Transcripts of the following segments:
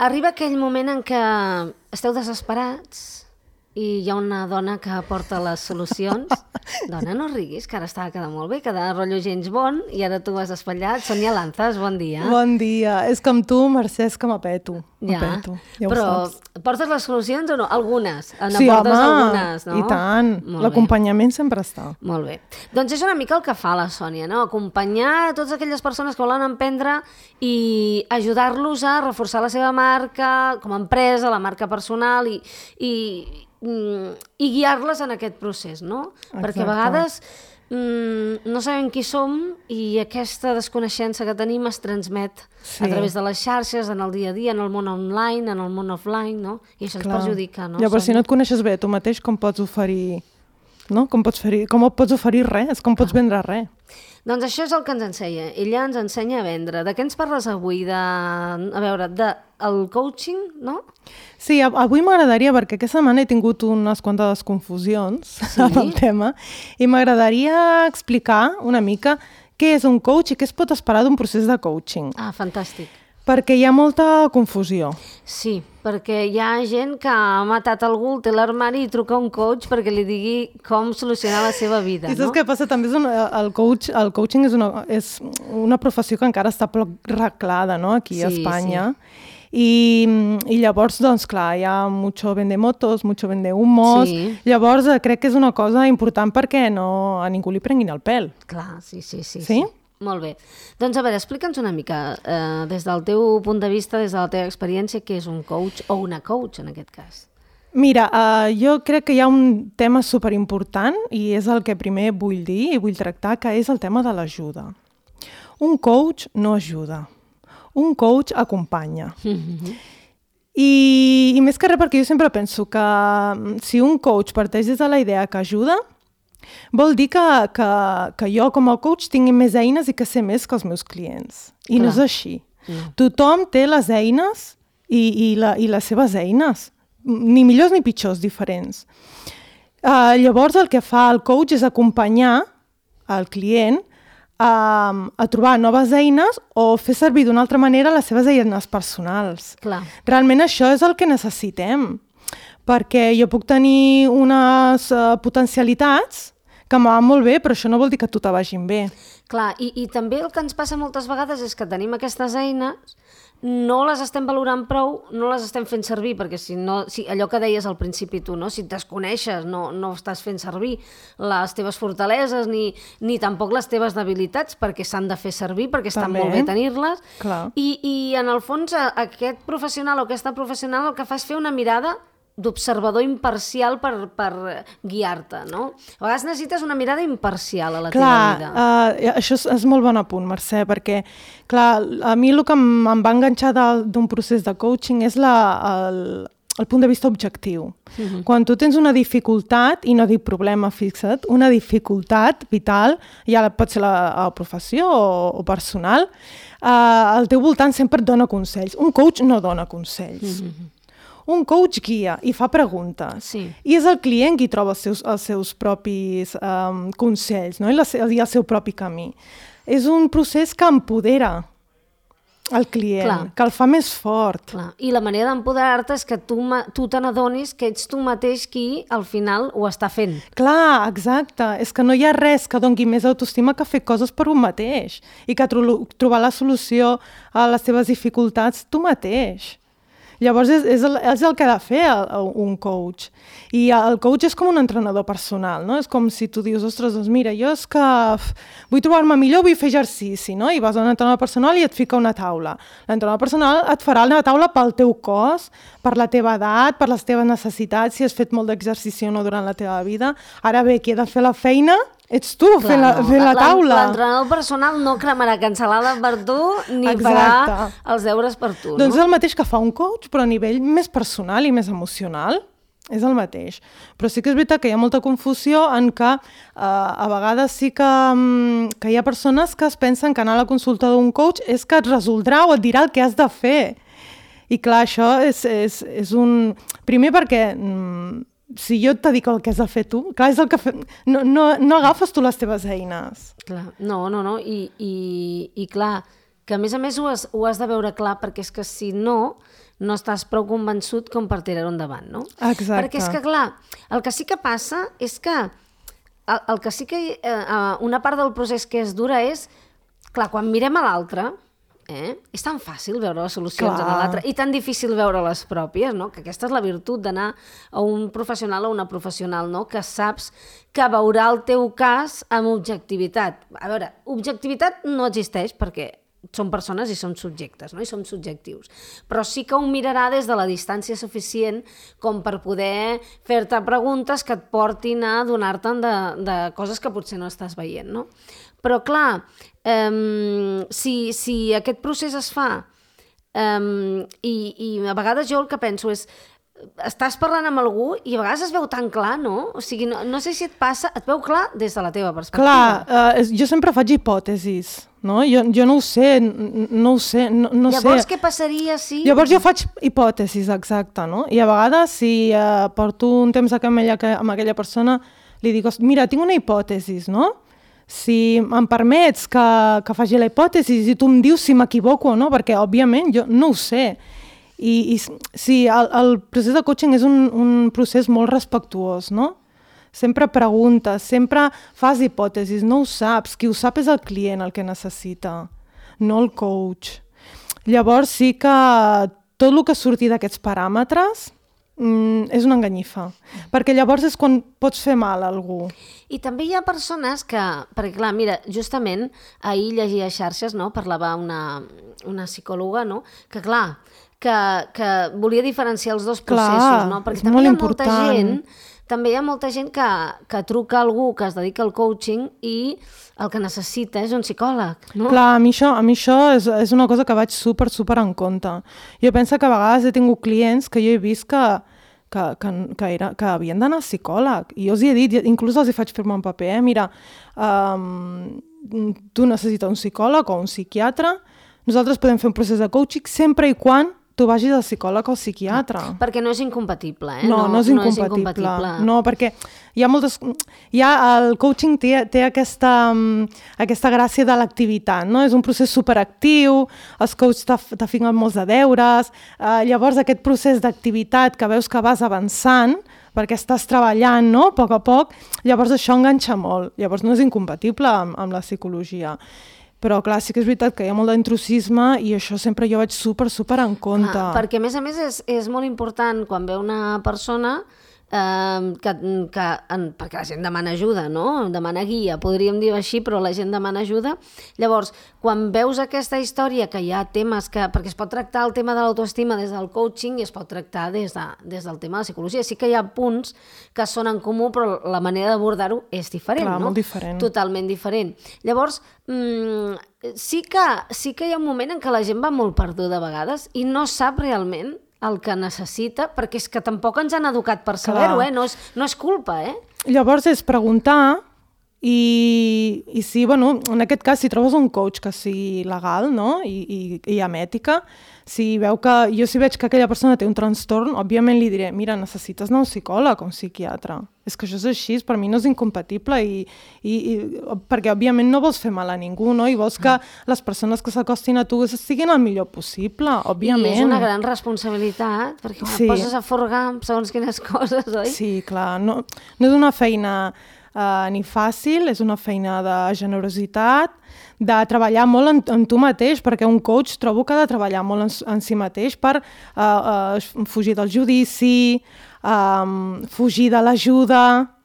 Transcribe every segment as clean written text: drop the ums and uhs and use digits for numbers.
arriba aquell moment en què esteu desesperats i hi ha una dona que aporta les solucions. Dona, no riguis, que ara estava quedant molt bé, quedava rotllo James Bond i ara tu has espatllat. Sònia Lanzas, bon dia. Bon dia. És que amb tu, Mercè, és que m'apeto. Ja però portes les solucions o no? Algunes. Sí, home, algunes, no? I tant. L'acompanyament sempre està. Molt bé. Doncs és una mica el que fa la Sònia, no? Acompanyar a totes aquelles persones que volen emprendre i ajudar-los a reforçar la seva marca com a empresa, la marca personal i guiar-les en aquest procés, no? Exacte. Perquè a vegades no sabem qui som i aquesta desconeixença que tenim es transmet a través de les xarxes, en el dia a dia, en el món online, en el món offline, no? I això ens perjudica, no? Llavors, si no et coneixes bé tu mateix, com pots oferir... No? Com et pots oferir res? Com pots vendre res? Doncs això és el que ens ensenya. Ella ens ensenya a vendre. De què ens parles avui? El coaching, no? Sí, avui m'agradaria, perquè aquesta setmana he tingut unes quantes confusions amb el tema, i m'agradaria explicar una mica què és un coach i què es pot esperar d'un procés de coaching. Ah, fantàstic. Perquè hi ha molta confusió. Sí, perquè hi ha gent que ha matat algú, té l'armari i truca a un coach perquè li digui com solucionar la seva vida. I saps què passa? També el coaching és una professió que encara està poc reglada, no? Aquí a Espanya. Sí. I llavors, doncs clar, hi ha mucho vendemotos, mucho vendehumos. Sí. Llavors crec que és una cosa important perquè a ningú li prenguin el pèl. Clar, sí. Molt bé. Doncs a veure, explica'ns una mica, des del teu punt de vista, des de la teva experiència, què és un coach o una coach en aquest cas? Mira, jo crec que hi ha un tema superimportant i és el que primer vull dir i vull tractar, que és el tema de l'ajuda. Un coach no ajuda. Un coach acompanya. I més que res perquè jo sempre penso que si un coach parteix des de la idea que ajuda, vol dir que jo com a coach tingui més eines i que sé més que els meus clients. I no és així. Tothom té les eines i les seves eines, ni millors ni pitjors, diferents. Llavors el que fa el coach és acompanyar el client a trobar noves eines o fer servir d'una altra manera les seves eines personals. Clar. Realment això és el que necessitem, perquè jo puc tenir unes potencialitats que em van molt bé, però això no vol dir que a tu te vagin bé. Clar, i també el que ens passa moltes vegades és que tenim aquestes eines, no les estem valorant prou, no les estem fent servir, perquè si allò que deies al principi tu, no? Si et desconeixes, no estàs fent servir les teves fortaleses ni tampoc les teves debilitats, perquè s'han de fer servir, perquè estan molt bé tenir-les. I en el fons aquest professional o aquesta professional el que fa és fer una mirada d'observador imparcial per guiar-te, no? A vegades necessites una mirada imparcial a la teva vida. Això és molt bon apunt, Mercè, perquè, clar, a mi el que em va enganxar d'un procés de coaching és el punt de vista objectiu. Quan tu tens una dificultat, i no dic problema, fixa't, una dificultat vital, ja pot ser la professió o personal, al teu voltant sempre et dona consells. Un coach no dona consells. Un coach guia i fa preguntes. I és el client qui troba els seus propis consells, no? I el seu propi camí. És un procés que empodera el client, que el fa més fort. I la manera d'empoderar-te és que tu te n'adonis que ets tu mateix qui al final ho està fent. Clar, exacte. És que no hi ha res que doni més autoestima que fer coses per un mateix i que trobar la solució a les teves dificultats tu mateix. Llavors és el que ha de fer un coach. I el coach és com un entrenador personal, no? És com si tu dius, ostres, doncs mira, jo és que vull trobar-me millor, vull fer exercici, no? I vas a un entrenador personal i et fica una taula. L'entrenador personal et farà una taula pel teu cos, per la teva edat, per les teves necessitats, si has fet molt d'exercici o no durant la teva vida. Ara bé, qui ha de fer la feina ets tu fent la taula. L'entrenador personal no cremarà cansalada per tu ni farà els deures per tu. Doncs és el mateix que fa un coach, però a nivell més personal i més emocional. És el mateix. Però sí que és veritat que hi ha molta confusió en que a vegades sí que hi ha persones que es pensen que anar a la consulta d'un coach és que et resoldrà o et dirà el que has de fer. I clar, això és un... Primer perquè... si jo et dic el que has de fer tu, clar, és el que no agafes tu les teves eines. Clar, no. I clar, que a més ho has de veure clar, perquè és que si no no estàs prou convençut com per tirar-ho endavant, no? Exacte. Perquè és que, clar, el que sí que passa és que el que sí que una part del procés que és dura és, clar, quan mirem a l'altre, és tan fàcil veure les solucions en l'altre i tan difícil veure les pròpies, no? Que aquesta és la virtut d'anar a un professional o una professional, no? Que saps que veurà el teu cas amb objectivitat. A veure, objectivitat no existeix perquè som persones i som subjectes, no? I som subjectius. Però sí que ho mirarà des de la distància suficient com per poder fer-te preguntes que et portin a donar-te'n de coses que potser no estàs veient, no? Però clar, si aquest procés es fa i a vegades jo el que penso és estàs parlant amb algú i a vegades es veu tan clar, no? O sigui, no sé si et passa, et veu clar des de la teva perspectiva. Clar, jo sempre faig hipòtesis, no? Jo no ho sé, no sé. Llavors, què passaria si... Llavors jo faig hipòtesis, exacte, no? I a vegades, si porto un temps amb aquella persona, li dic, mira, tinc una hipòtesis, no? Si em permets que faci la hipòtesi i tu em dius si m'equivoco o no, perquè, òbviament, jo no ho sé. I sí, el procés de coaching és un procés molt respectuós, no? Sempre preguntes, sempre fas hipòtesis, no ho saps. Qui ho sap és el client el que necessita, no el coach. Llavors sí que tot el que surti d'aquests paràmetres és una enganyifa, perquè llavors és quan pots fer mal a algú. I també hi ha persones que, perquè clar, mira, justament ahir llegia a xarxes, no? Parlava una psicòloga, no? Que clar, que volia diferenciar els dos processos, no? Perquè també hi ha molta gent que truca a algú que es dedica al coaching i el que necessita és un psicòleg, no? Clar, a mi això és una cosa que vaig super en compte. Jo penso que a vegades he tingut clients que jo he vist que havien d'anar al psicòleg. I jo els he dit, inclús els hi faig firmar un paper, mira, tu necessites un psicòleg o un psiquiatre, nosaltres podem fer un procés de coaching sempre i quan tu vagis al psicòleg o al psiquiatre. Perquè no és incompatible, eh? No és incompatible. No, perquè el coaching té aquesta gràcia de l'activitat, no? És un procés superactiu, els coaches te fiquen molts de deures, llavors aquest procés d'activitat que veus que vas avançant, perquè estàs treballant, no? A poc, llavors això enganxa molt. Llavors no és incompatible amb la psicologia. Però clar, sí que és veritat que hi ha molt d'intrusisme i això sempre jo vaig super en compte. Perquè a més és molt important quan ve una persona perquè la gent demana ajuda, no? Demana guia, podríem dir així, però la gent demana ajuda. Llavors, quan veus aquesta història que hi ha temes perquè es pot tractar el tema de l'autoestima des del coaching i es pot tractar des del tema de la psicologia. Sí que hi ha punts que són en comú, però la manera d'abordar-ho és diferent, clar, no? Molt diferent. Totalment diferent. Llavors, sí que hi ha un moment en què la gent va molt perduda a vegades i no sap realment el que necessita, perquè és que tampoc ens han educat per saber-ho, no és culpa, Llavors és preguntar i sí, bueno, en aquest cas, si trobes un coach que sigui legal, no? I amb ètica, si veig que aquella persona té un trastorn, òbviament li diré, mira, necessites anar a un psicòleg o un psiquiatre. És que això és així, per mi no és incompatible perquè òbviament no vols fer mal a ningú, no? I vols que les persones que s'acostin a tu siguin el millor possible, òbviament. I és una gran responsabilitat, perquè et poses a forgar segons quines coses, oi? Sí, clar, no és una feina ni fàcil, és una feina de generositat, de treballar molt en tu mateix, perquè un coach trobo que ha de treballar molt en si mateix per fugir del judici, fugir de l'ajuda,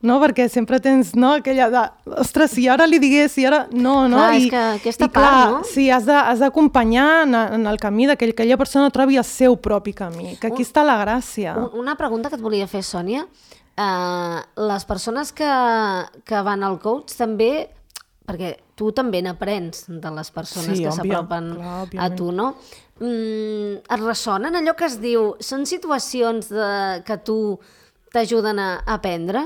no? Perquè sempre tens aquella de, ostres, si ara li digués, si ara... No. Clar, és que aquesta part, no? Sí, has d'acompanyar en el camí que aquella persona trobi el seu propi camí, que aquí està la gràcia. Una pregunta que et volia fer, Sònia. Les persones que van al coach també, perquè tu també n'aprens de les persones que s'apropen a tu, no? Et ressonen allò que es diu? Són situacions que tu t'ajuden a aprendre?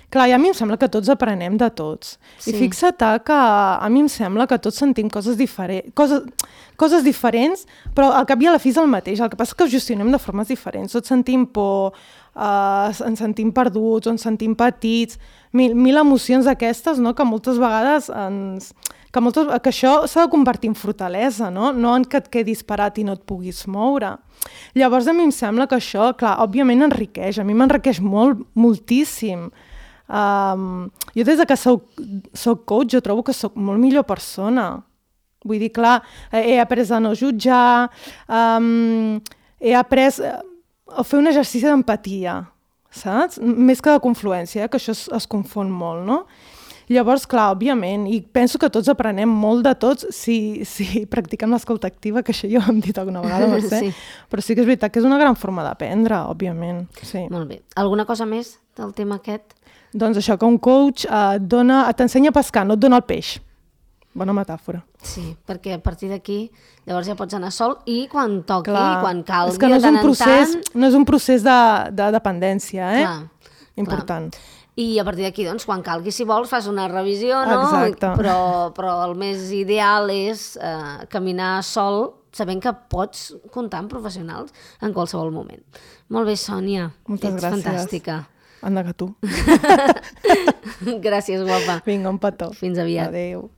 Clar, i a mi em sembla que tots aprenem de tots. Sí. I fixa't que a mi em sembla que tots sentim coses diferents, però al cap i a la fi és el mateix. El que passa és que ho gestionem de formes diferents. Tots sentim por, ens sentim perduts, ens sentim petits, mil emocions aquestes, no? Que moltes vegades que això s'ha de convertir en fortalesa, no? No en que et quedis parat i no et puguis moure. Llavors a mi em sembla que això, clar, òbviament enriqueix, a mi m'enriqueix moltíssim. Jo des que soc coach jo trobo que soc molt millor persona. Vull dir, clar, he après a no jutjar, he après a fer un exercici d'empatia, saps? Més que de confluència, que això es confon molt, no? Llavors, clar, òbviament, i penso que tots aprenem molt de tots si practiquem l'escolta activa, que això ja ho hem dit alguna vegada, Mercè, sí. Però sí que és veritat que és una gran forma d'aprendre, òbviament. Sí. Molt bé. Alguna cosa més del tema aquest? Doncs això, que un coach t'ensenya a pescar, no et dona el peix. Bona metàfora. Sí, perquè a partir d'aquí llavors ja pots anar sol i quan toqui, quan calgui, és que no és un procés de dependència, important. Clar. I a partir d'aquí, doncs, quan calgui, si vols, fas una revisió, no? Exacte. Però el més ideal és caminar sol, sabent que pots comptar amb professionals en qualsevol moment. Molt bé, Sònia. Moltes gràcies. Ets fantàstica. Anda que tu. Gràcies, guapa. Vinga, un petó. Fins aviat. Adéu.